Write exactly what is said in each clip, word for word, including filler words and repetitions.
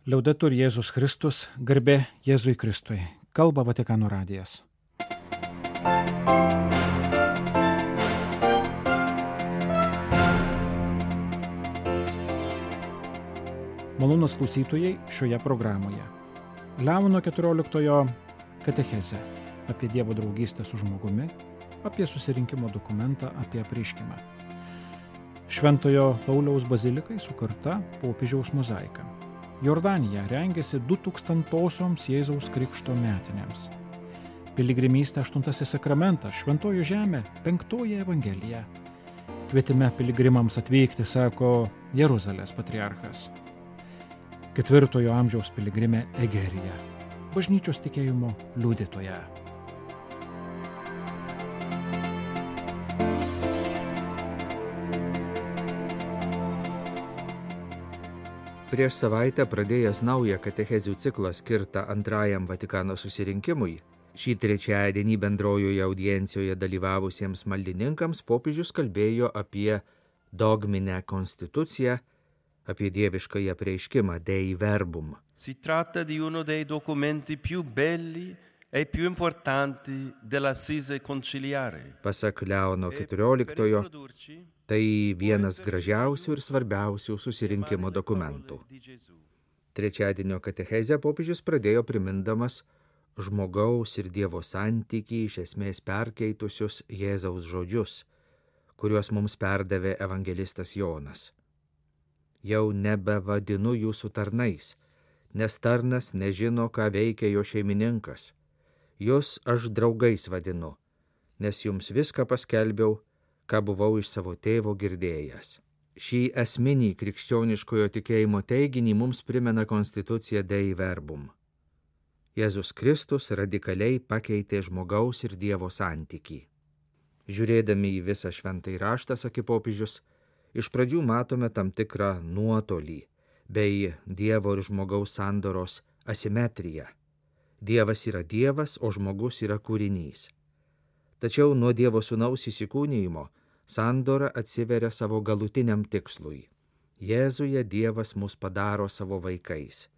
Liaudetur Jėzus Kristus, garbė Jėzui Kristui. Kalba Vatikano radijas. Malonūs klausytojai šioje programoje. Leono keturioliktojo katechezė apie Dievo draugystę su žmogumi, apie susirinkimo dokumentą, apie apreiškimą. Šventojo Pauliaus bazilikai sukurta popiežiaus mozaika. Jordanija rengėsi du tūkstantosioms Jėzaus Krikšto metinėms. Piligrimystė aštuntasis sakramentas, šventoji žemė, penktoji evangelija. Kvietime piligrimams atvykti, sako Jeruzalės patriarchas. Ketvirtojo amžiaus piligrimė Egerija, bažnyčios tikėjimo liudytoja. Prieš savaitę pradėjęs naują katechezių ciklą skirtą antrajam Vatikano susirinkimui, šį trečiadienį bendrojoje audiencijoje dalyvavusiems maldininkams popiežius kalbėjo apie dogminę konstituciją, apie dieviškąjį apreiškimą Dei Verbum. Si tratta di uno dei documenti più belli e più importanti dell'assise conciliare. Pasak Leono keturioliktojo, tai vienas gražiausių ir svarbiausių susirinkimo dokumentų. Trečiadienio katechezę popiežius pradėjo primindamas žmogaus ir Dievo santykį iš esmės perkeitusius Jėzaus žodžius, kuriuos mums perdavė evangelistas Jonas. Jau nebevadinu jūsų tarnais, nes tarnas nežino, ką veikia jo šeimininkas. Jūs aš draugais vadinu, nes jums viską paskelbiau, ką buvau iš savo tėvo girdėjęs. Šį esminį krikščioniškojo tikėjimo teiginį mums primena konstitucija Dei Verbum. Jėzus Kristus radikaliai pakeitė žmogaus ir Dievo santykį. Žiūrėdami į visą šventąjį raštą, sakė popiežius, iš pradžių matome tam tikrą nuotolį bei Dievo ir žmogaus sandoros asimetriją. Dievas yra Dievas, o žmogus yra kūrinys. Tačiau nuo Dievo sūnaus įsikūnijimo sandora atsiveria savo galutiniam tikslui. Jėzuje Dievas mus padaro savo vaikais.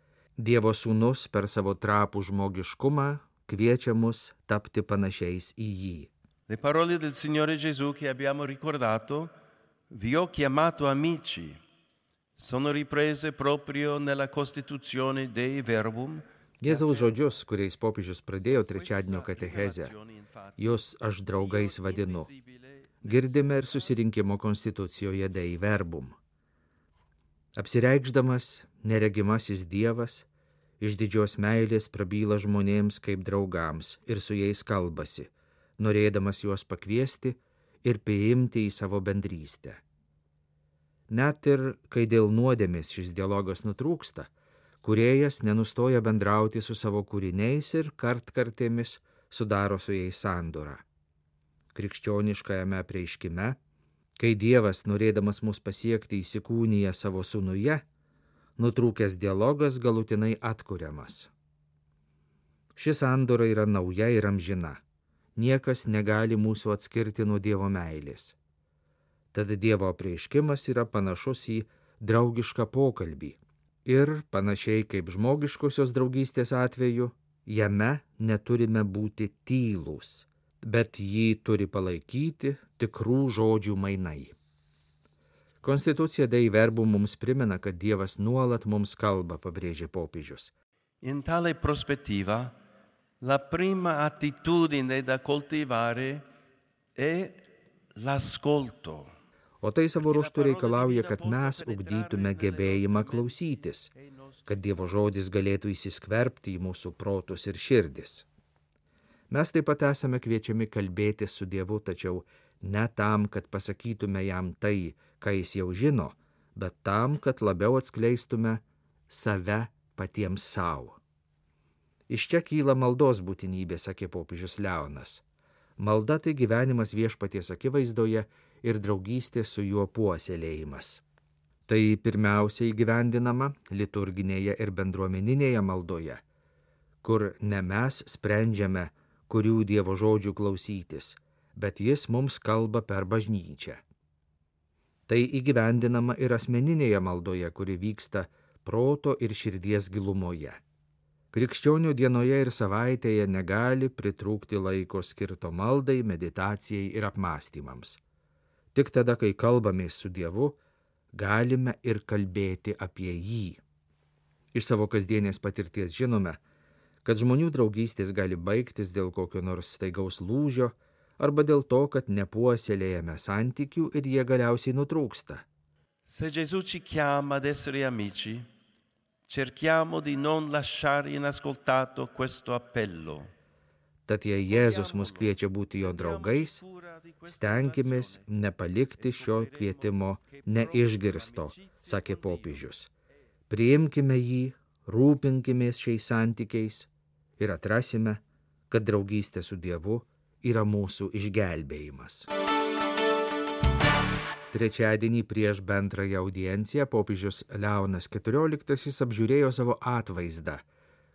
Dievo sūnus per savo trapų žmogiškumą kviečia mus tapti panašiais į jį. Le parole del Signore Gesù che abbiamo ricordato, vi ho chiamato amici, sono riprese proprio nella Costituzione Dei Verbum. Jėzaus žodžius, kuriais popiežius pradėjo trečiadienio katechezę, jūs aš draugais vadinu, girdime ir susirinkimo konstitucijoje Dei Verbum. Apsireikšdamas neregimasis Dievas, iš didžios meilės prabyla žmonėms kaip draugams ir su jais kalbasi, norėdamas juos pakviesti ir priimti į savo bendrystę. Net ir kai dėl nuodėmės šis dialogas nutrūksta, kūrėjas nenustoja bendrauti su savo kūriniais ir kartkartėmis sudaro su jais sandorą. Krikščioniškajame apreiškime, kai Dievas, norėdamas mus pasiekti, įsikūnija savo sūnuje, nutrūkęs dialogas galutinai atkuriamas. Ši sandora yra nauja ir amžina. Niekas negali mūsų atskirti nuo Dievo meilės. Tad Dievo apreiškimas yra panašus į draugišką pokalbį. Ir, panašiai kaip žmogiškosios draugystės atveju, jame neturime būti tylūs, bet jį turi palaikyti tikrų žodžių mainai. Konstitucija Dei Verbum mums primena, kad Dievas nuolat mums kalba, pabrėžė popiežius. In tale prospettiva, la prima attitudine da coltivare è l'ascolto. O tai savo ruožtu reikalauja, kad mes ugdytume gebėjimą klausytis, kad Dievo žodis galėtų įsiskverbti į mūsų protus ir širdis. Mes taip pat esame kviečiami kalbėtis su Dievu, tačiau ne tam, kad pasakytume jam tai, ką jis jau žino, bet tam, kad labiau atskleistume save patiems savo. Iš čia kyla maldos būtinybė, sakė popiežius Leonas. Malda tai gyvenimas viešpaties akivaizdoje ir draugystė su juo puoselėjimas. Tai pirmiausia įgyvendinama liturginėje ir bendruomeninėje maldoje, kur ne mes sprendžiame, kurių Dievo žodžių klausytis, bet jis mums kalba per bažnyčią. Tai įgyvendinama ir asmeninėje maldoje, kuri vyksta proto ir širdies gilumoje. Krikščionių dienoje ir savaitėje negali pritrūkti laiko skirto maldai, meditacijai ir apmąstymams. Tik tada, kai kalbamės su Dievu, galime ir kalbėti apie jį. Iš savo kasdienės patirties žinome, kad žmonių draugystės gali baigtis dėl kokio nors staigaus lūžio arba dėl to, kad nepuoselėjame santykių ir jie galiausiai nutrūksta. Se Gesù ci chiama ad essere amici, cerchiamo di non lasciare inascoltato questo appello. Tad jei Jėzus mus kviečia būti jo draugais, stenkimės nepalikti šio kvietimo neišgirsto, sakė popiežius. Priimkime jį, rūpinkimės šiais santykiais ir atrasime, kad draugystė su Dievu yra mūsų išgelbėjimas. Trečiadienį prieš bendrąją audienciją popiežius Leonas keturioliktasis apžiūrėjo savo atvaizdą,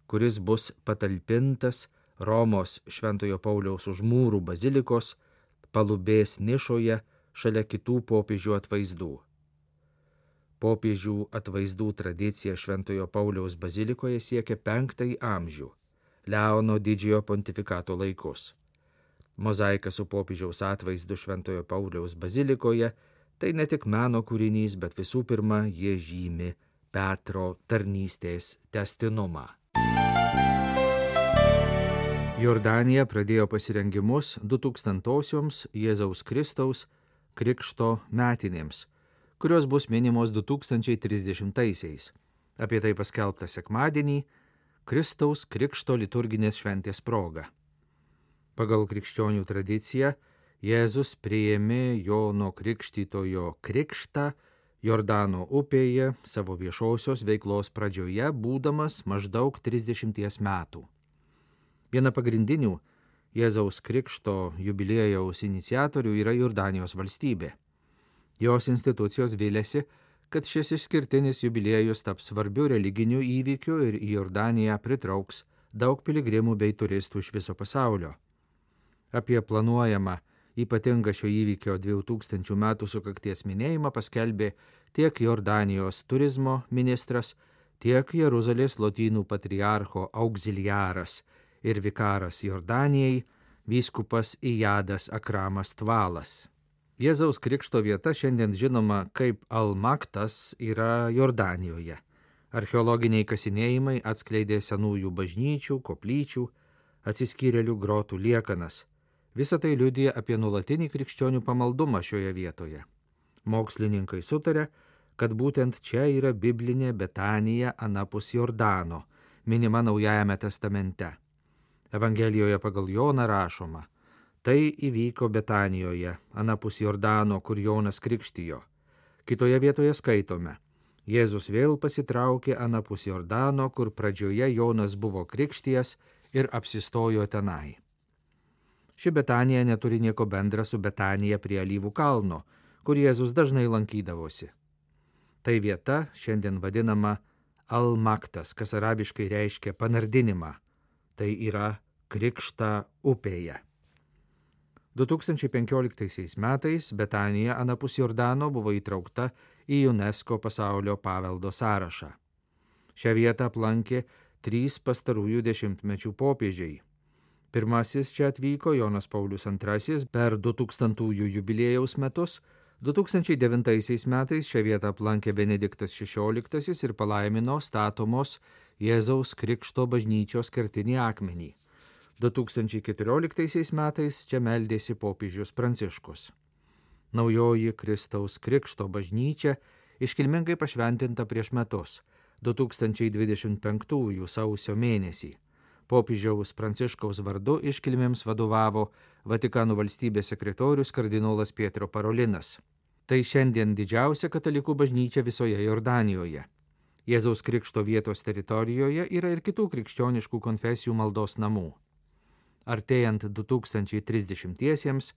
kuris bus patalpintas Romos Šventojo Pauliaus Užmūrų bazilikos palubės nišoje šalia kitų popiežių atvaizdų. Popiežių atvaizdų tradicija Šventojo Pauliaus bazilikoje siekia penktąjį amžių, Leono didžiojo pontifikato laikus. Mozaika su popiežiaus atvaizdu Šventojo Pauliaus bazilikoje tai ne tik meno kūrinys, bet visų pirma, jie žymi Petro tarnystės tęstinumą. Jordanija pradėjo pasirengimus du tūkstantosioms Jėzaus Kristaus krikšto metinėms, kurios bus minimos du tūkstančiai trisdešimtaisiais. Apie tai paskelbta sekmadienį Kristaus krikšto liturginės šventės proga. Pagal krikščionių tradiciją Jėzus priėmė Jono Krikštytojo krikštą Jordano upėje savo viešosios veiklos pradžioje, būdamas maždaug trisdešimties metų. Viena pagrindinių Jėzaus krikšto jubiliejaus iniciatorių yra Jordanijos valstybė. Jos institucijos viliasi, kad šis išskirtinis jubiliejus taps svarbiu religiniu įvykiu ir į Jordaniją pritrauks daug piligrimų bei turistų iš viso pasaulio. Apie planuojamą ypatingą šio įvykio dviejų tūkstančių metų sukakties minėjimą paskelbė tiek Jordanijos turizmo ministras, tiek Jeruzalės lotynų patriarcho auxiliaras ir vikaras Jordanijai, vyskupas Ijadas Akramas Tvalas. Jėzaus krikšto vieta šiandien žinoma kaip Al-Maktas yra Jordanijoje. Archeologiniai kasinėjimai atskleidė senųjų bažnyčių, koplyčių, atsiskyrėlių grotų liekanas. Visa tai liudija apie nuolatinį krikščionių pamaldumą šioje vietoje. Mokslininkai sutarė, kad būtent čia yra biblinė Betanija anapus Jordano, minima Naujajame testamente. Evangelijoje pagal Joną rašoma, tai įvyko Betanijoje, anapus Jordano, kur Jonas krikštijo. Kitoje vietoje skaitome, Jėzus vėl pasitraukė anapus Jordano, kur pradžioje Jonas buvo krikštijas ir apsistojo tenai. Ši Betanija neturi nieko bendra su Betanija prie Alyvų kalno, kur Jėzus dažnai lankydavosi. Tai vieta šiandien vadinama Al-Maktas, kas arabiškai reiškia panardinimą, tai yra krikštą upėje. du tūkstančiai penkioliktaisiais metais Betanija anapus Jordano buvo įtraukta į UNESCO pasaulio paveldo sąrašą. Šią vietą aplankė trys pastarųjų dešimtmečių popiežiai. Pirmasis čia atvyko Jonas Paulius antrasis per du tūkstantųjų jubiliejaus metus, du tūkstančiai devintaisiais metais šią vietą aplankė Benediktas šešioliktasis ir palaimino statomos Jėzaus Krikšto bažnyčios kertinį akmenį. du tūkstančiai keturioliktaisiais metais čia meldėsi popiežius Pranciškus. Naujoji Kristaus Krikšto bažnyčia iškilmingai pašventinta prieš metus, du tūkstančiai dvidešimt penktųjų sausio mėnesį. Popiežiaus Pranciškaus vardu iškilmėms vadovavo Vatikano valstybės sekretorius kardinolas Pietro Parolinas. Tai šiandien didžiausia katalikų bažnyčia visoje Jordanijoje. Jėzaus Krikšto vietos teritorijoje yra ir kitų krikščioniškų konfesijų maldos namų. Artėjant du tūkstančiai trisdešimtiesiems,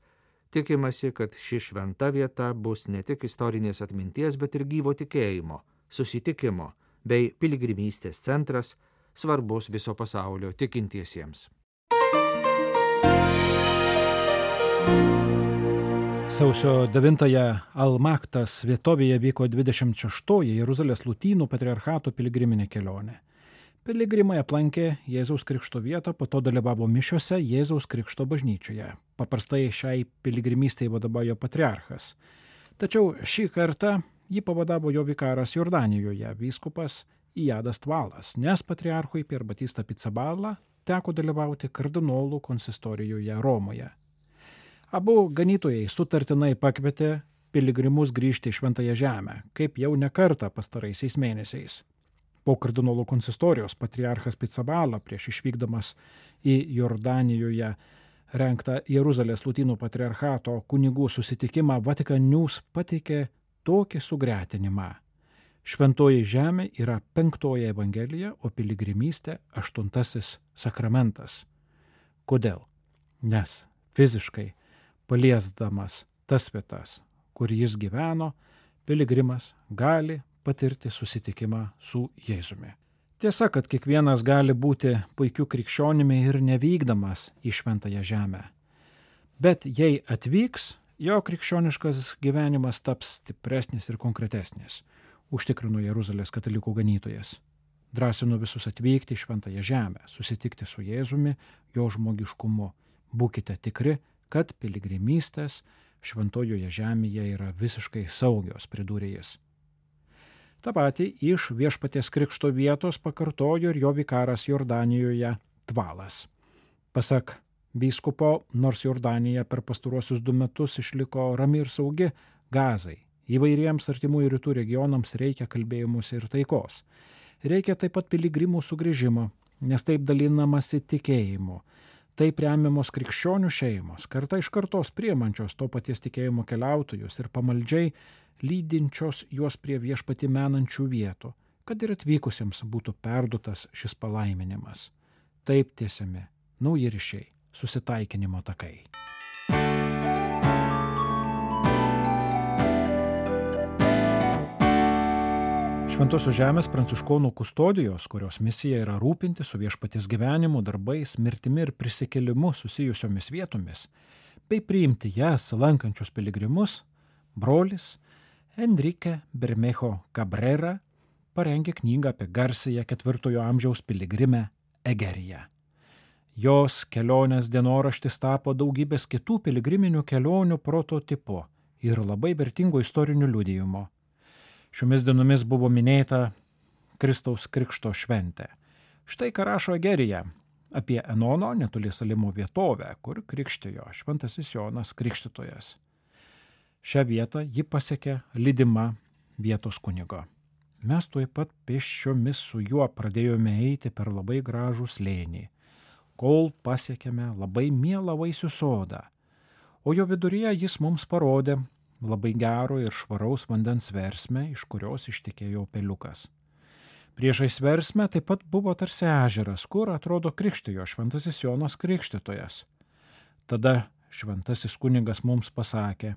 tikimasi, kad ši šventa vieta bus ne tik istorinės atminties, bet ir gyvo tikėjimo, susitikimo bei piligrimystės centras, svarbus viso pasaulio tikintiesiems. Sausio devintąją Almaktas vietovėje vyko dvidešimt šeštoji Jeruzalės Lotynų patriarchato piligriminė kelionė. Piligrimai aplankė Jėzaus Krikšto vietą, po to dalyvavo mišiose Jėzaus Krikšto bažnyčioje. Paprastai šiai piligrimystei vadovauja patriarchas. Tačiau šį kartą jį pavadavo jo vikaras Jordanijoje, vyskupas Ijadas Tvalas, nes patriarchui Pier Batista Pizzaballa teko dalyvauti kardinolų konsistorijoje Romoje. Abu ganytojai sutartinai pakvietė piligrimus grįžti į Šventąją Žemę, kaip jau ne kartą pastaraisiais mėnesiais. Po kardinolų konsistorijos patriarchas Pizzaballa prieš išvykdamas į Jordanijoje rengtą Jeruzalės Lotynų patriarchato kunigų susitikimą Vatican News pateikė tokį sugretinimą. Šventoji Žemė yra penktoji evangelija, o piligrimystė aštuntasis sakramentas. Kodėl? Nes fiziškai paliesdamas tas vietas, kur jis gyveno, piligrimas gali patirti susitikimą su Jėzumi. Tiesa, kad kiekvienas gali būti puikiu krikščionimi ir nevykdamas į Šventąją Žemę. Bet jei atvyks, jo krikščioniškas gyvenimas taps stipresnis ir konkretesnis, užtikrino Jeruzalės katalikų ganytojas. Drąsinu visus atvykti į Šventąją Žemę, susitikti su Jėzumi, jo žmogiškumu. Būkite tikri, kad piligrimystės Šventojoje Žemėje yra visiškai saugios, pridūrė jis. Ta pati iš Viešpaties Krikšto vietos pakartojo ir jo vikaras Jordanijoje Tvalas. Pasak vyskupo, nors Jordanija per pastaruosius du metus išliko rami ir saugi, Gazai, įvairiems artimųjų rytų regionams reikia kalbėjimuose ir taikos. Reikia taip pat piligrimų sugrįžimo, nes taip dalinamasi tikėjimu. Taip remiamos krikščionių šeimos, karta iš kartos priemančios to paties tikėjimo keliautojus ir pamaldžiai lydinčios juos prie viešpatį menančių vietų, kad ir atvykusiems būtų perduotas šis palaiminimas. Taip tiesiami nauji ryšiai, susitaikinimo takai. Šventosios Žemės pranciškonų kustodijos, kurios misija yra rūpinti su viešpaties gyvenimu, darbais, mirtimi ir prisikėlimu susijusiomis vietomis, bei priimti jas lankančius piligrimus, brolis Enrique Bermejo Cabrera parengė knygą apie garsąją ketvirtojo amžiaus piligrimę Egeriją. Jos kelionės dienoraštis tapo daugybės kitų piligriminių kelionių prototipu ir labai vertingo istorinių liudijimo. Šiomis dienomis buvo minėta Kristaus Krikšto šventė. Štai ką rašo Egerija apie Enono netoli Salimo vietovę, kur krikštijo šventasis Jonas Krikštytojas. Šią vietą ji pasiekė lydima vietos kunigo. Mes tuoj pat pėsčiomis su juo pradėjome eiti per labai gražų slėnį, kol pasiekėme labai mielą vaisių sodą, o jo viduryje jis mums parodė labai gero ir švaraus vandens versmę, iš kurios ištekėjo upeliukas. Priešais versmę taip pat buvo tarsi ežeras, kur atrodo krikštijo šventasis Jonas Krikštytojas. Tada šventasis kunigas mums pasakė,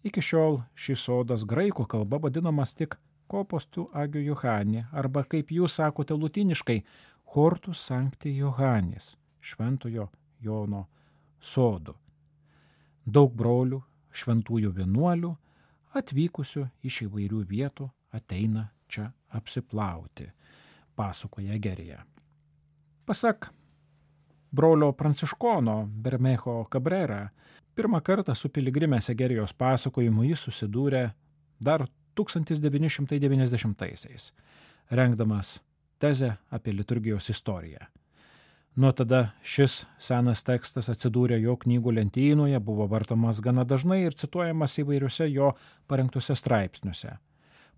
iki šiol šis sodas graikų kalba vadinamas tik Kopos tu Agio Johani, arba kaip jūs sakote lotiniškai, Hortus Sancti Johannis, šventojo Jono sodu. Daug brolių, šventųjų vienuolių, atvykusių iš įvairių vietų, ateina čia apsiplauti, pasakoja Egerija. Pasak brolio pranciškono Bermejo Cabrera, pirmą kartą su piligrimės Egerijos pasakojimu jis susidūrė dar tūkstantis devyni šimtai devyniasdešimtaisiais, rengdamas tezę apie liturgijos istoriją. Nuo tada šis senas tekstas atsidūrė jo knygų lentynoje, buvo vartomas gana dažnai ir cituojamas įvairiuose jo parengtuose straipsniuose.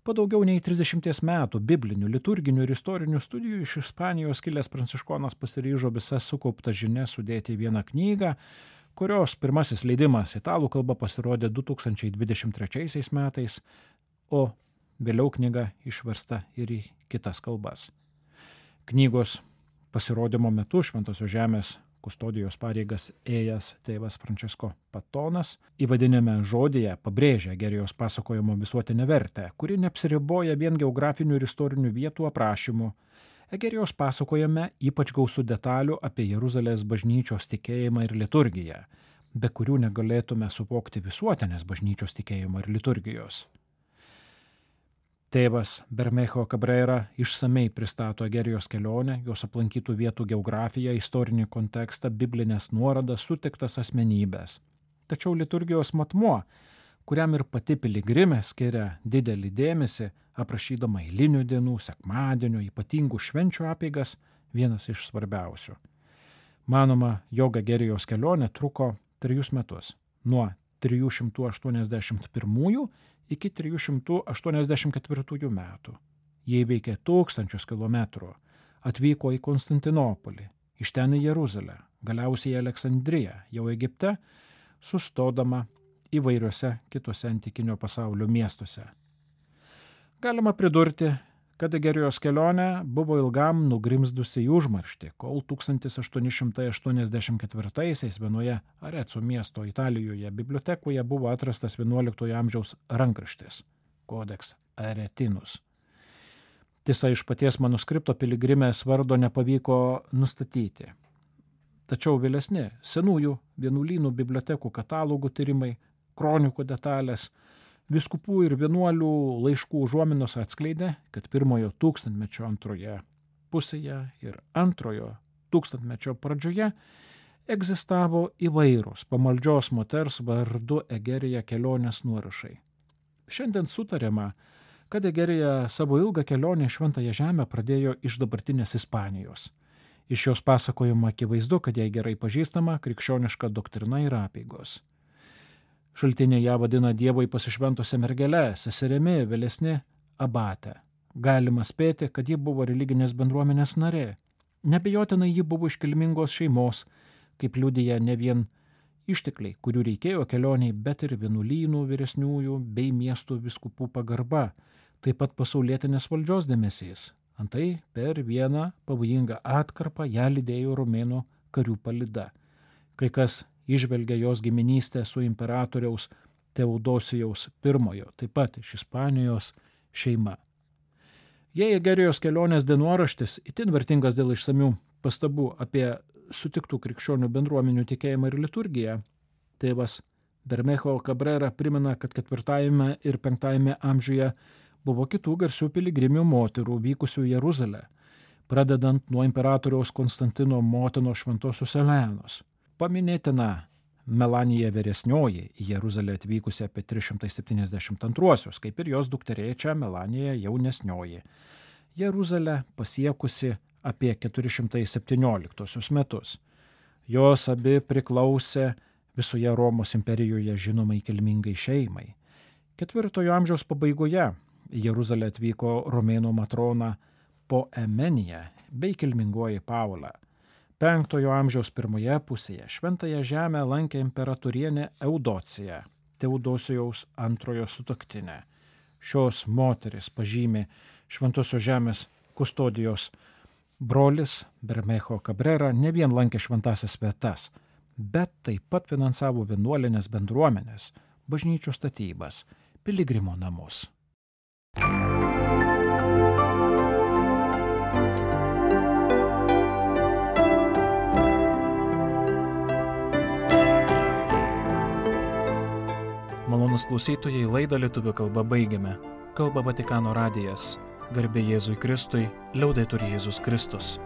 Po daugiau nei trisdešimties metų biblinių, liturginių ir istorinių studijų iš Ispanijos kilęs pranciškonas pasiryžo visas sukauptas žinias sudėti į vieną knygą, kurios pirmasis leidimas italų kalba pasirodė du tūkstančiai dvidešimt trečiaisiais metais, o vėliau knyga išversta ir į kitas kalbas. Knygos pasirodymo metu Šventosios Žemės kustodijos pareigas ėjęs tėvas Francesco Patonas įvadinėme žodyje pabrėžia Egerijos pasakojimo visuotinę vertę, kuri neapsiriboja vien geografinių ir istorinių vietų aprašymų. Egerijos pasakojame ypač gausų detalių apie Jeruzalės bažnyčios tikėjimą ir liturgiją. be kurių negalėtume suvokti visuotinės bažnyčios tikėjimo ir liturgijos. Tėvas Bermejo Cabrera išsamei pristato Egerijos kelionę, jos aplankytų vietų geografiją, istorinį kontekstą, biblinės nuorodas, sutiktas asmenybės. Tačiau liturgijos matmuo, kuriam ir pati piligrimė skiria didelį dėmesį, aprašydama eilinių dienų, sekmadienio, ypatingų švenčių apeigas, vienas iš svarbiausių. Manoma, jog Egerijos kelionė truko trejus metus, nuo trijų šimtų aštuoniasdešimt pirmųjų iki trijų šimtų aštuoniasdešimt ketvirtųjų metų. Jie įveikė tūkstančius kilometrų, atvyko į Konstantinopolį, iš ten į Jeruzalę, galiausiai į Aleksandriją, jau Egipte, sustodama įvairiuose kitose antikinio pasaulio miestuose. Galima pridurti, kad Egerijos kelionė buvo ilgam nugrimzdusi į užmarštį, kol tūkstantis aštuoni šimtai aštuoniasdešimt ketvirtaisiais vienoje Areco miesto Italijoje bibliotekoje buvo atrastas vienuoliktojo amžiaus rankraštis Codex Aretinus. Tiesa, iš paties manuskripto piligrimės vardo nepavyko nustatyti. Tačiau vėlesni senųjų vienuolynų bibliotekų katalogų tyrimai, kronikų detalės, vyskupų ir vienuolių laiškų užuominos atskleidė, kad pirmojo tūkstantmečio antroje pusėje ir antrojo tūkstantmečio pradžioje egzistavo įvairūs pamaldžios moters vardu Egerija kelionės nuorašai. Šiandien sutariama, kad Egerija savo ilgą kelionę į Šventąją Žemę pradėjo iš dabartinės Ispanijos. Iš jos pasakojimo akivaizdu, kad jai gerai pažįstama krikščioniška doktrina ir apeigos. Šaltiniai ją vadina Dievui pasišventusią mergelę, seserimi, vėlesni abate. Galima spėti, kad ji buvo religinės bendruomenės narė. Nebejotinai ji buvo iš kilmingos šeimos, kaip liudija ne vien ištekliai, kurių reikėjo kelioniai, bet ir vienuolynų vyresniųjų bei miestų vyskupų pagarba, taip pat pasaulietinės valdžios dėmesys. Antai per vieną pavojingą atkarpą ją lydėjo romėnų karių palyda. Kai kas įžvelgia jos giminystę su imperatoriaus Teodosijaus pirmojo, taip pat iš Ispanijos šeima. Jei Egerijos kelionės dienoraštis itin vertingas dėl išsamių pastabų apie sutiktų krikščionių bendruomenių tikėjimą ir liturgiją, tėvas Bermejo Cabrera primena, kad ketvirtajame ir penktajame amžiuje buvo kitų garsių piligrimių moterų vykusių į Jeruzalę, pradedant nuo imperatoriaus Konstantino motinos šventosios Elenos. Paminėtina Melanija vyresnioji į Jeruzalę atvykusi apie trys šimtai septyniasdešimt antruosius, kaip ir jos dukterėčia Melanija jaunesnioji. Jeruzalę pasiekusi apie keturi šimtai septynioliktuosius metus. Jos abi priklausė visoje Romos imperijoje žinomai kilmingai šeimai. Ketvirtojo amžiaus pabaigoje į Jeruzalę atvyko romėnų matrona Poemenija bei kilmingoji Paula. Penktojo amžiaus pirmoje pusėje Šventąją Žemę lankė imperatorienė Eudocija, Teodosijaus antrojo sutuoktinė. Šios moteris pažymi Šventosios Žemės kustodijos brolis Bermejo Cabrera ne vien lankė šventąsias vietas, bet taip pat finansavo vienuolinės bendruomenės, bažnyčių statybas, piligrimų namus. Malonus klausytojai, laidą lietuvių kalba baigiame. Kalba Vatikano radijas. Garbė Jėzui Kristui, liaudetur Jėzus Kristus.